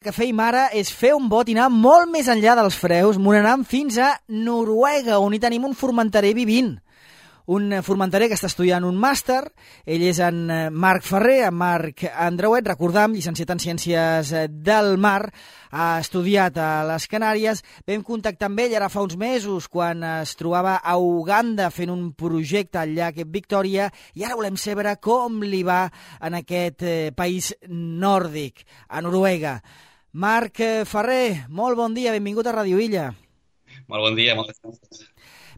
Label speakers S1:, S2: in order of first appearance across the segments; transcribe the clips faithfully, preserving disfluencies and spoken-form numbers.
S1: que fèiem ara és fer un bot i anar molt més enllà dels freus, m'anant fins a Noruega, on hi tenim un formenterer vivint. Un formenterer que està estudiant un màster, ell és en Marc Ferrer, en Marc Andreuet, recordam, llicenciat en Ciències del Mar, ha estudiat a les Canàries. Vam contactar amb ell ara fa uns mesos, quan es trobava a Uganda fent un projecte al llac Victòria, i ara volem saber com li va en aquest país nòrdic, a Noruega. Marc Ferrer, molt bon dia, benvingut a Radio Illa.
S2: Molt bon dia, moltes gràcies.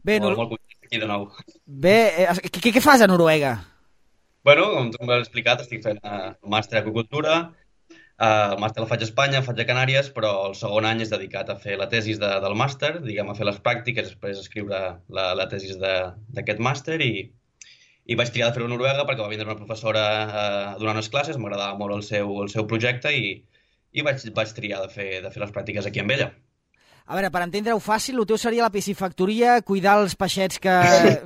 S1: Bé,
S2: molt, molt content aquí de nou.
S1: Bé, què, què fas a Noruega?
S2: Bueno, com tu m'has explicat, estic fent uh, un màster d'agricultura. Uh, el màster el faig a Espanya, el faig a Canàries, però el segon any és dedicat a fer la tesis de, del màster, diguem, a fer les pràctiques, després escriure la, la tesis d'aquest màster, i, i vaig triar de fer-ho a Noruega perquè va vindre una professora uh, a donar unes classes, m'agradava molt el seu, el seu projecte, i i vaig, vaig triar de fer, de fer les pràctiques aquí amb ella.
S1: A veure, per entendre-ho fàcil, el teu seria la piscifactoria, cuidar els peixets que...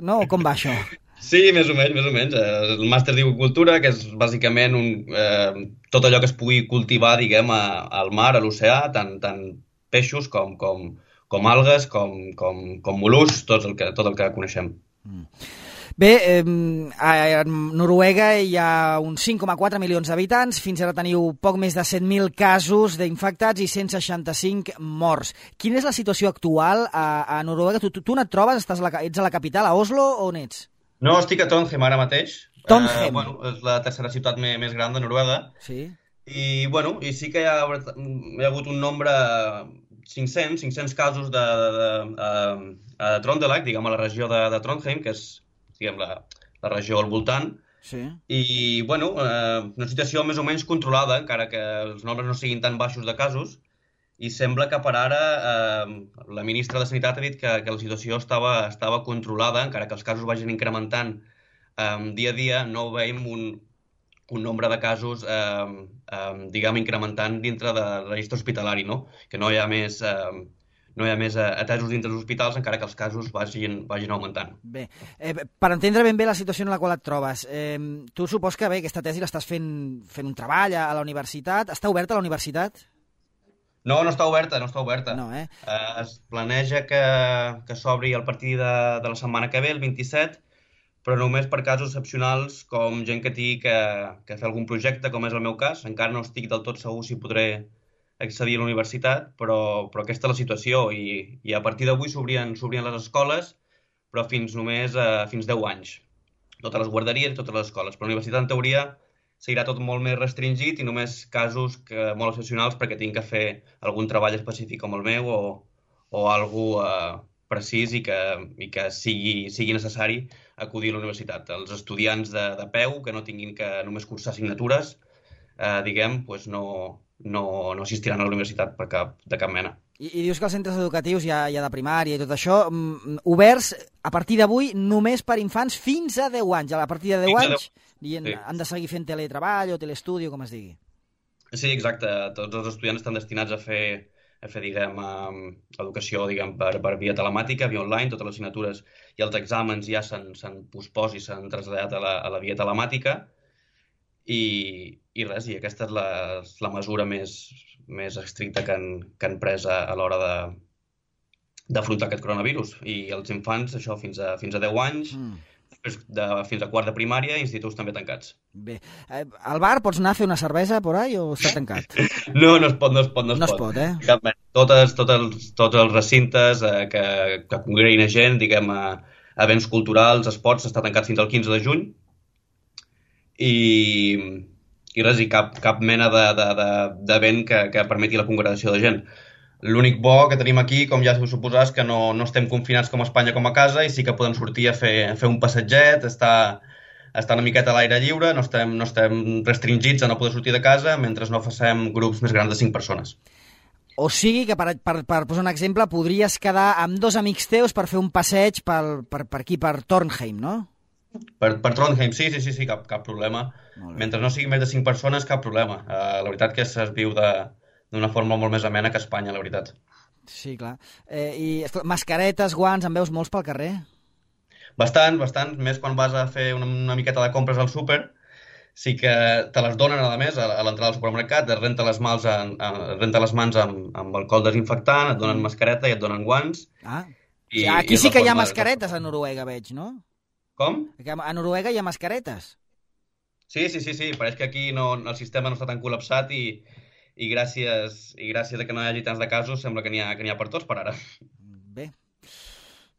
S1: No? Com va això?
S2: Sí, més o menys, més o menys. El màster d'agricultura, que és bàsicament un, eh, tot allò que es pugui cultivar, diguem, a, al mar, a l'oceà, tant, tant peixos com, com, com algues, com, com, com mol·luscs, tot el que, tot el que coneixem.
S1: Mm. Bé, eh, a Noruega hi ha uns cinc coma quatre milions d'habitants, fins ara teniu poc més de set mil casos d'infectats i cent seixanta-cinc morts. Quina és la situació actual a, a Noruega? Tu, tu, tu on et trobes? Estàs a la, ets a la capital, a Oslo, o on ets?
S2: No, estic a Trondheim ara mateix.
S1: Trondheim?
S2: Uh, bueno, és la tercera ciutat més, més gran de Noruega.
S1: Sí.
S2: I, bueno, i sí que hi ha, hi ha hagut un nombre... cinc-cents, cinc-cents casos de, de, de, de, de Trøndelag, diguem, a la regió de, de Trondheim, que és, diguem, la, la regió al voltant.
S1: Sí.
S2: I, bueno, eh, una situació més o menys controlada, encara que els nombres no siguin tan baixos de casos, i sembla que per ara eh, la ministra de Sanitat ha dit que, que la situació estava, estava controlada, encara que els casos vagin incrementant eh, dia a dia, no veiem un, un nombre de casos, eh, eh, diguem, incrementant dintre del registre hospitalari, no? Que no hi ha més... Eh, no hi ha més atesos dintre dels hospitals, encara que els casos vagin, vagin augmentant.
S1: Bé, eh, per entendre ben bé la situació en la qual et trobes, eh, tu supos que bé, aquesta tesi l'estàs fent, fent un treball a, a la universitat. Està oberta la universitat?
S2: No, no està oberta, no està oberta.
S1: No, eh?
S2: Eh, es planeja que, que s'obri a partir de, de la setmana que ve, el vint-i-set, però només per casos excepcionals, com gent que tingui que, que fer algun projecte, com és el meu cas. Encara no estic del tot segur si podré accedir a la universitat, però, però aquesta és la situació, i, i a partir d'avui s'obrien s'obrien les escoles, però fins només eh, fins deu anys. Totes les guarderies i totes les escoles. Però la universitat, en teoria, seguirà tot molt més restringit i només casos que, molt excepcionals perquè tinc que fer algun treball específic com el meu o, o alguna eh, precís i que, i que sigui, sigui necessari acudir a la universitat. Els estudiants de, de peu, que no tinguin que només cursar assignatures, eh, diguem, doncs no... No, no assistiran a la universitat per cap, de cap mena.
S1: I, I dius que els centres educatius ja, ja de primària i tot això, mm, oberts a partir d'avui només per infants fins a deu anys. A partir de deu anys deu... Sí. Han de seguir fent teletreball o telestudio, com es digui.
S2: Sí, exacte. Tots els estudiants estan destinats a fer, a fer diguem, um, educació diguem, per, per via telemàtica, via online. Totes les assignatures i els exàmens ja s'han pospost i s'han traslladat a la, a la via telemàtica. I, i res, i aquesta és la, la mesura més, més estricta que han, que han pres a, a l'hora de d'afrontar aquest coronavirus. I els infants, això, fins a, fins a deu anys, mm. després de, fins a quart de primària, instituts també tancats.
S1: Bé. Eh, al bar pots anar a fer una cervesa por ahí o està tancat?
S2: No, no es pot, no es pot. No es,
S1: no
S2: pot.
S1: es pot, eh?
S2: Cap, totes, tots, els, tots els recintes eh, que, que congreguin a gent, diguem, a, a events culturals, esports, està tancat fins al quinze de juny. I, i res, i cap, cap mena d'event de, de, que, que permeti la congregació de gent. L'únic bo que tenim aquí, com ja us suposar, és que no, no estem confinats com a Espanya com a casa i sí que podem sortir a fer, a fer un passatget, estar, estar una miqueta a l'aire lliure, no estem, no estem restringits a no poder sortir de casa mentre no facem grups més grans de cinc persones.
S1: O sigui que, per, per, per posar un exemple, podries quedar amb dos amics teus per fer un passeig per, per, per aquí, per Trondheim, no?
S2: Per, per Trondheim, sí, sí, sí, sí cap, cap problema. Mentre no sigui més de cinc persones, cap problema. Uh, la veritat que es viu d'una forma molt més amena que a Espanya, la veritat.
S1: Sí, clar. Eh, I esclar, mascaretes, guants, en veus molts pel carrer?
S2: Bastant, bastant. Més quan vas a fer una, una miqueta de compres al súper. sí que te les donen, a més, a l'entrada del supermercat, es renta les mans, en, es renta les mans amb, amb alcohol desinfectant, et donen mascareta i et donen guants.
S1: Ah,
S2: I,
S1: sí, aquí
S2: i
S1: sí que hi ha
S2: forma,
S1: mascaretes a Noruega, veig, no?
S2: Com?
S1: A Noruega hi ha mascaretes.
S2: Sí, sí, sí, sí, pareix que aquí no, el sistema no està tan col·lapsat i, i, gràcies, i gràcies a que no hi hagi tants de casos sembla que n'hi ha, que n'hi ha per tots per ara.
S1: Bé.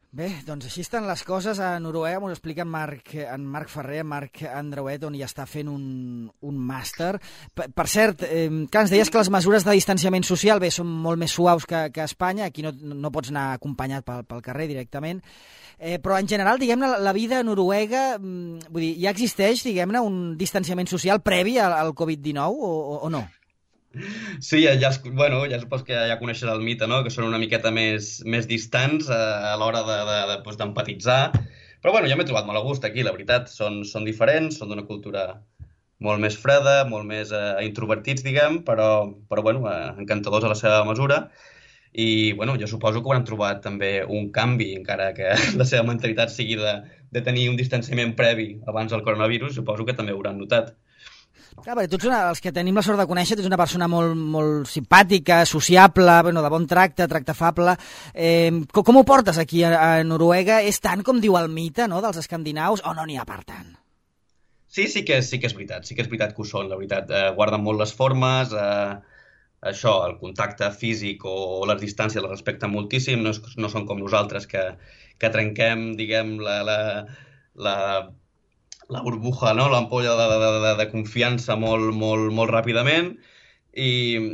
S1: Bé, doncs així estan les coses a Noruega, m'ho explica en Marc, en Marc Ferrer, en Marc Andreuet, on hi està fent un, un màster. Per, per cert, eh, que ens deies que les mesures de distanciament social bé, són molt més suaus que, que a Espanya, aquí no, no pots anar acompanyat pel, pel carrer directament, eh, però en general, diguem-ne, la vida a Noruega, vull dir, ja existeix, diguem-ne, un distanciament social previ al, al covid dinou o, o, o no?
S2: Sí, ja, ja, bueno, ja supos que ja coneixes el mite, no? Que són una miqueta més, més distants a, a l'hora d'empatitzar. De, de, de, Però bueno, ja m'he trobat molt a gust aquí, la veritat. Són, són diferents, són d'una cultura molt més freda, molt més eh, introvertits, diguem, però, però bueno, eh, encantadors a la seva mesura. I bueno, jo suposo que ho han trobat també un canvi, encara que la seva mentalitat sigui de, de tenir un distanciament previ abans del coronavirus, suposo que també ho hauran notat.
S1: Clar, perquè tu ets una, els que tenim la sort de conèixer, tu ets una persona molt, molt simpàtica, sociable, bueno, de bon tracte, tracte afable. Eh, com, com ho portes aquí a, a Noruega? És tant com diu el mite, no?, dels escandinaus, o no n'hi ha per tant?
S2: Sí, sí que, sí que és veritat, sí que és veritat que ho són, la veritat. Eh, guarden molt les formes, eh, això, el contacte físic o, o les distàncies les respecten moltíssim, no, és, no són com nosaltres que, que trenquem, diguem, la... la, la la burbuja, no? L'ampolla de, de, de, de confiança molt, molt, molt ràpidament i,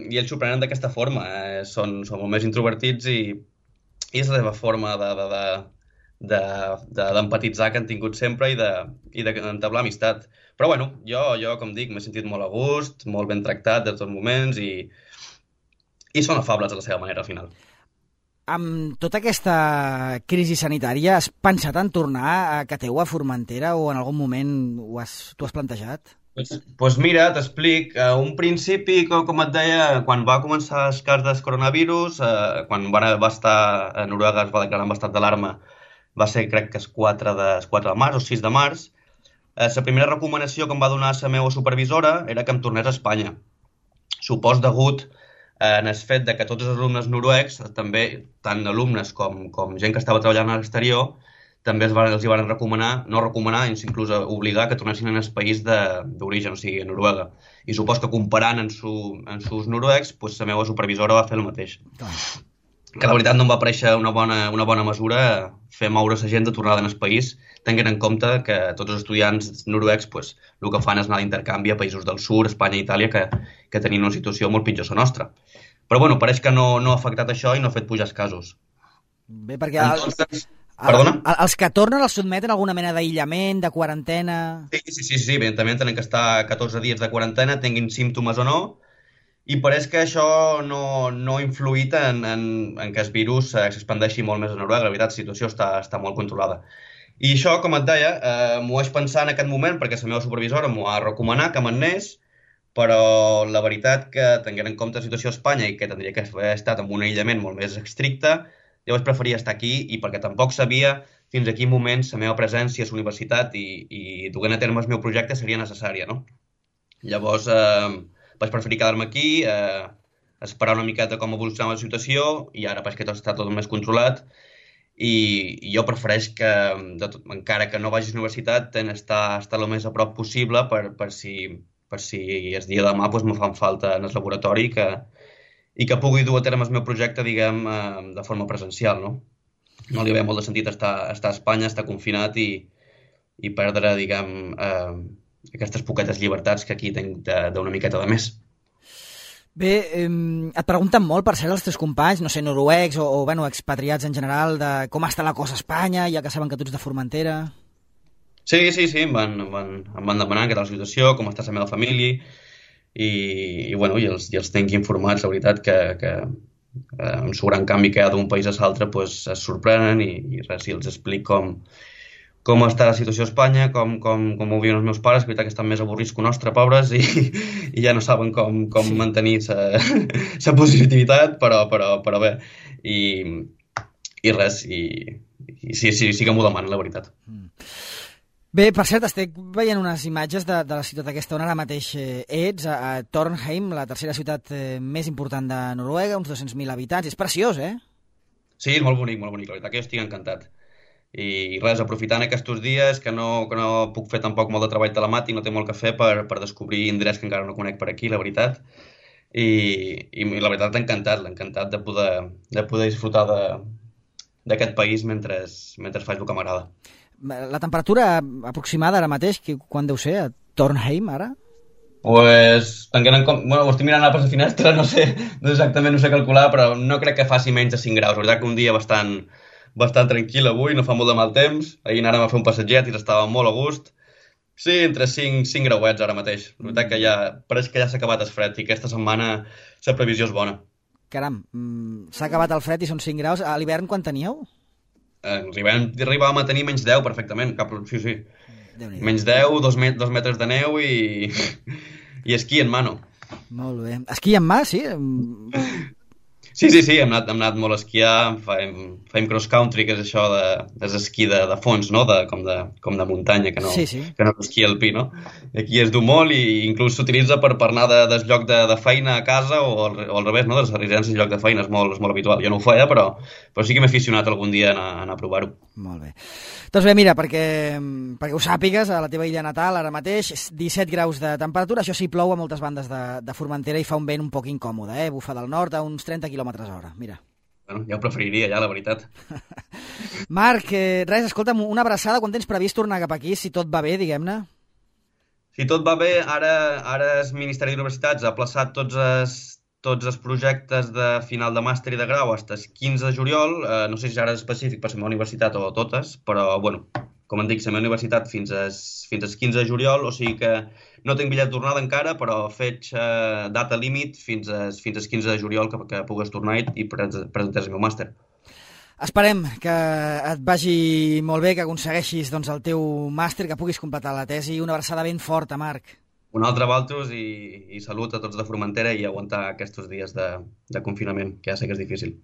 S2: i ells s'ho prenen d'aquesta forma. Eh? Són, són molt més introvertits i, i és la seva forma d'empatitzar de, de, de, de, que han tingut sempre i d'entablar de, amistat. Però bueno, jo, jo com dic, m'he sentit molt a gust, molt ben tractat de tots moments i, i són afables a la seva manera al final.
S1: Amb tota aquesta crisi sanitària, has pensat en tornar a Kateu, a Formentera, o en algun moment ho has, t'ho has plantejat?
S2: Doncs pues, pues mira, t'explic. A un principi, com, com et deia, quan va començar el cas del coronavirus, eh, quan va, va estar a Noruega, es va declarar en estat d'alarma, va ser, crec que és quatre de, quatre de març o sis de març, eh, la primera recomanació que em va donar la meva supervisora era que em tornés a Espanya. Supos degut en el fet de que tots els alumnes noruecs, també tant alumnes com, com gent que estava treballant a l'exterior, també els, van, els hi van recomanar, no recomanar, inclús obligar que tornessin en el país d'origen, o sigui, a Noruega. I supos que comparant en, su, en sus noruecs, pues, la meva supervisora va fer el mateix. Que la veritat no em va parèixer una bona, una bona mesura fer moure la gent de tornada en el país, tenint en compte que tots els estudiants noruecs pues, el que fan és anar d'intercanvi a països del sud, Espanya i Itàlia, que, que tenien una situació molt pitjor que la nostra. Però bueno, pareix que no, no ha afectat això i no ha fet pujar els casos.
S1: Bé, perquè
S2: Entonces,
S1: el,
S2: perdona?
S1: El, els que tornen els sotmeten a alguna mena d'aïllament, de quarantena...
S2: Sí, sí, sí, sí, evidentment tenen que estar catorze dies de quarantena, tinguin símptomes o no, i pareix que això no, no ha influït en, en, en que el virus s'expandeixi molt més a Noruega. La veritat, la situació està, està molt controlada. I això, com et deia, eh, m'ho vaig pensar en aquest moment perquè la meva supervisora m'ho va recomanar que me'n anés, però la veritat que, tenint en compte la situació a Espanya i que tindria que haver estat amb un aïllament molt més estricte, jo vaig preferir estar aquí i perquè tampoc sabia fins a quin moment la meva presència a la universitat i, i duent a terme el meu projecte seria necessària, no? Llavors, eh, vaig preferir quedar-me aquí, eh, esperar una miqueta com evolucionava la situació i ara pareix que tot està tot més controlat i, i jo prefereix que, de tot, encara que no vagis a la universitat, estar, estar el més a prop possible per, per, si, per si el dia de demà pues, me fan falta en el laboratori que, i que pugui dur a terme el meu projecte, diguem, eh, de forma presencial, no? No li ve molt de sentit estar, estar a Espanya, estar confinat i, i perdre, diguem, eh, aquestes poquetes llibertats que aquí tinc d'una miqueta de més.
S1: Bé, eh, et pregunten molt, per ser els teus companys, no sé, noruecs o, o bueno, expatriats en general, de com està la cosa a Espanya, ja que saben que tu ets de Formentera.
S2: Sí, sí, sí, em van, em van, em van demanar què tal la situació, com està la meva família, i, i bueno, i els, i els tinc informats, la veritat, que, que eh, amb el gran canvi que hi ha d'un país a l'altre, pues, es sorprenen i, i res, i els explico com, com està la situació a Espanya, com, com, com ho viuen els meus pares, que veritat que estan més avorrits que nostre, pobres, i, i ja no saben com, com sí. mantenir la positivitat, però, però, però bé, i, i res, i, i sí, sí, sí que m'ho demanen, la veritat.
S1: Mm. Bé, per cert, estic veient unes imatges de, de la ciutat aquesta on ara mateix eh, ets, a, a Trondheim, la tercera ciutat eh, més important de Noruega, uns dos-cents mil habitants. És preciós, eh?
S2: Sí, és molt bonic, molt bonic, la veritat que jo estic encantat. I res, aprofitant aquests dies, que no, que no puc fer tampoc molt de treball telemàtic, no té molt que fer per, per descobrir indrets que encara no conec per aquí, la veritat. I, i la veritat, encantat, encantat de poder, de poder disfrutar d'aquest país mentre, mentre faig el que m'agrada.
S1: La temperatura aproximada ara mateix, quan deu ser, a Trondheim, ara?
S2: Pues, tenint en compte, bueno, ho estic mirant a la finestra, no sé, no exactament no sé calcular, però no crec que faci menys de cinc graus. La veritat que un dia bastant, bastant tranquil avui, no fa molt de mal temps. Ahir anàrem a fer un passatget i estava molt a gust. Sí, entre cinc, cinc grauets ara mateix. La veritat que ja, pareix que ja s'ha acabat el fred i aquesta setmana la previsió és bona.
S1: Caram, s'ha acabat el fred i són cinc graus. A l'hivern quan teníeu?
S2: Arribàvem, arribàvem a tenir menys deu perfectament, cap, sí, sí. Menys deu, dos, met, dos metres de neu i, i esquí en mano.
S1: Molt bé. Esquí en mà, sí?
S2: Sí, sí, sí, hem anat, hem anat molt a esquiar, fem, fem cross-country, que és això de, és esquí de, de fons, no? De, com, de, com de muntanya, que no,
S1: sí, sí.
S2: que no és esquí alpí, no? Aquí es du molt i inclús s'utilitza per, per anar de, des lloc de, de feina a casa o al, o al revés, no? De les residències al lloc de feina, és molt, és molt habitual. Jo no ho feia, però, però sí que m'he aficionat algun dia a anar, a anar a provar-ho.
S1: Molt bé. Doncs bé, mira, perquè, perquè ho sàpigues, a la teva illa natal ara mateix, disset graus de temperatura, això sí, plou a moltes bandes de, de Formentera i fa un vent un poc incòmode, eh? Bufa del nord a uns trenta quilòmetres hora, mira.
S2: Bueno, ja ho preferiria, ja, la veritat.
S1: Marc, eh, res, escolta'm, una abraçada, quan tens previst tornar cap aquí, si tot va bé, diguem-ne?
S2: Si tot va bé, ara, ara el Ministeri d'Universitats ha plaçat tots els, tots els projectes de final de màster i de grau fins el quinze de juliol, eh, no sé si ara és específic per la meva universitat o totes, però, bueno, com em dic, la meva universitat fins al fins al quinze de juliol, o sigui que no tinc bitllet de tornada encara, però faig eh, data límit fins, a, fins al quinze de juliol que, que pugues tornar i presentar el meu màster.
S1: Esperem que et vagi molt bé, que aconsegueixis doncs, el teu màster, que puguis completar la tesi. Una abraçada ben forta, Marc.
S2: Un altre Valtos i, i salut a tots de Formentera i aguantar aquests dies de, de confinament, que ja sé que és difícil.